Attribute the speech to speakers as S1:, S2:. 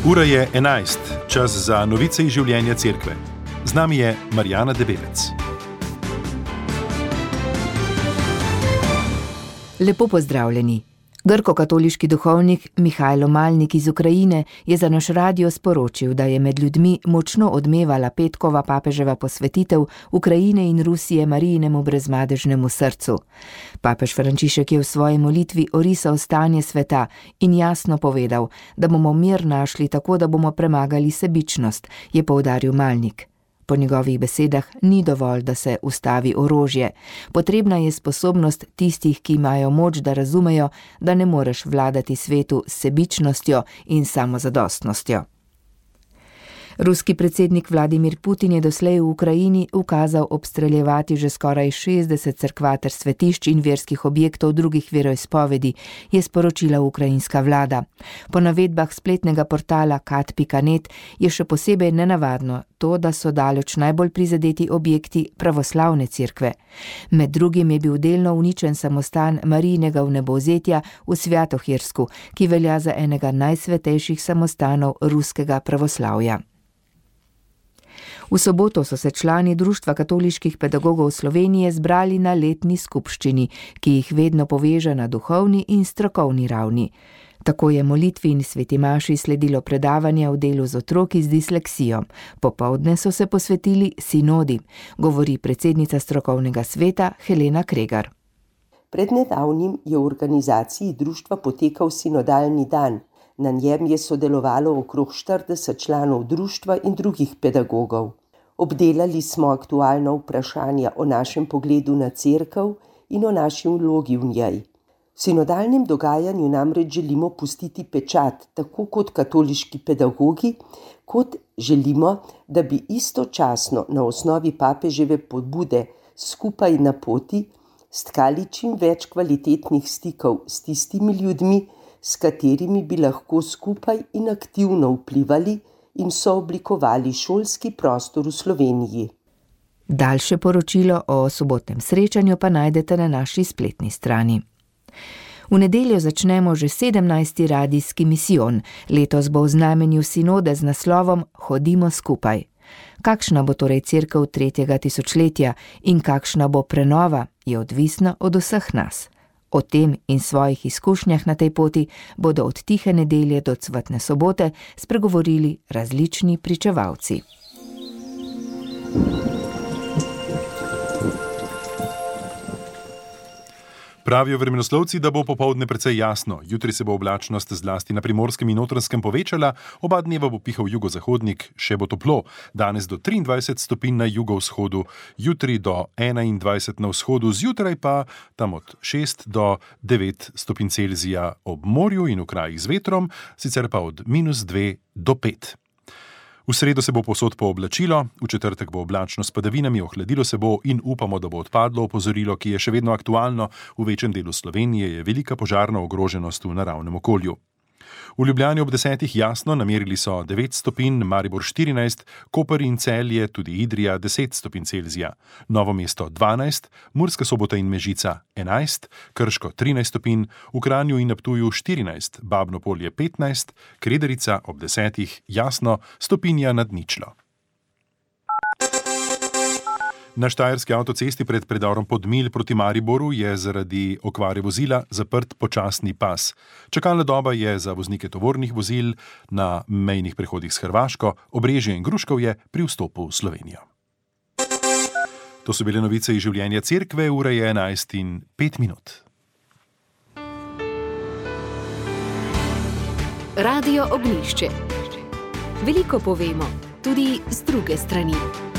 S1: Ura je 11, čas za novice iz življenja cerkve. Z nami je Marjana Debevec.
S2: Lepo pozdravljeni. Grko-katoliški duhovnik Mihajlo Malnik iz Ukrajine je za naš radio sporočil, da je med ljudmi močno odmevala petkova papeževa posvetitev Ukrajine in Rusije Marijinemu brezmadežnemu srcu. Papež Frančišek je v svoji molitvi orisal stanje sveta in jasno povedal, da bomo mir našli tako, da bomo premagali sebičnost, je poudaril Malnik. Po njegovih besedah ni dovolj, da se ustavi orožje. Potrebna je sposobnost tistih, ki imajo moč, da razumejo, da ne moreš vladati svetu s sebičnostjo in samozadostnostjo. Ruski predsednik Vladimir Putin je doslej v Ukrajini ukazal obstreljevati že skoraj 60 cerkva ter svetišč in verskih objektov drugih veroizpovedi, je sporočila ukrajinska vlada. Po navedbah spletnega portala kat.net je še posebej nenavadno to, da so daleč najbolj prizadeti objekti pravoslavne cerkve. Med drugim je bil delno uničen samostan Marijinega vnebovzetja v Svjatohirsku, ki velja za enega najsvetejših samostanov ruskega pravoslavja. V soboto so se člani Društva katoliških pedagogov Slovenije zbrali na letni skupščini, ki jih vedno poveže na duhovni in strokovni ravni. Tako je molitvi in sveti maši sledilo predavanje o delu z otroki z disleksijo. Popoldne so se posvetili sinodi, govori predsednica strokovnega sveta Helena Kregar.
S3: Pred nedavnim je v organizaciji društva potekal sinodalni dan. Na njem je sodelovalo okrog 40 članov društva in drugih pedagogov. Obdelali smo aktualna vprašanja o našem pogledu na cerkev in o naši vlogi v njej. V sinodalnem dogajanju namreč želimo pustiti pečat, tako kot katoliški pedagogi, kot želimo, da bi istočasno na osnovi papeževe pobude skupaj na poti stkali čim več kvalitetnih stikov s tistimi ljudmi, s katerimi bi lahko skupaj in aktivno vplivali in sooblikovali šolski prostor v Sloveniji.
S2: Daljše poročilo o sobotnem srečanju pa najdete na naši spletni strani. V nedeljo začnemo že 17. radijski misijon. Letos bo v znamenju sinode z naslovom Hodimo skupaj. Kakšna bo torej cerkev 3. tisočletja in kakšna bo prenova, je odvisna od vseh nas. O tem in svojih izkušnjah na tej poti bodo od tihe nedelje do cvetne sobote spregovorili različni pričevalci.
S1: Pravijo vremenoslovci, da bo popoldne precej jasno. Jutri se bo oblačnost zlasti na Primorskem in Notranjskem povečala, oba dneva bo pihal jugozahodnik, še bo toplo. Danes do 23 stopinj na jugovzhodu, jutri do 21 na vzhodu, zjutraj pa tam od 6 do 9 stopinj Celzija ob morju in v krajih z vetrom, sicer pa od -2 do 5. V sredo se bo povsod pooblačilo, v četrtek bo oblačno s padavinami, ohladilo se bo in upamo, da bo odpadlo opozorilo, ki je še vedno aktualno. V večjem delu Slovenije je velika požarna ogroženost v naravnem okolju. V Ljubljani ob 10 jasno, namerili so 9 stopinj, Maribor 14, Koper in Celje, tudi Idrija 10 stopinj Celzija, Novo mesto 12, Murska Sobota in Mežica 11, Krško 13 stopinj, v Kranju in na Ptuju 14, Babno Polje 15, Krederica ob 10 jasno, stopinja nad ničlo. Na štajerski avtocesti pred predorom Podmilj proti Mariboru je zaradi okvare vozila zaprt počasni pas. Čakalna doba je za voznike tovornih vozil na mejnih prehodih s Hrvaško, Obrežje in Gruškovje pri vstopu v Slovenijo. To so bile novice iz življenja cerkve, ura je 11:05.
S4: Radio Ognjišče. Veliko povemo, tudi z druge strani.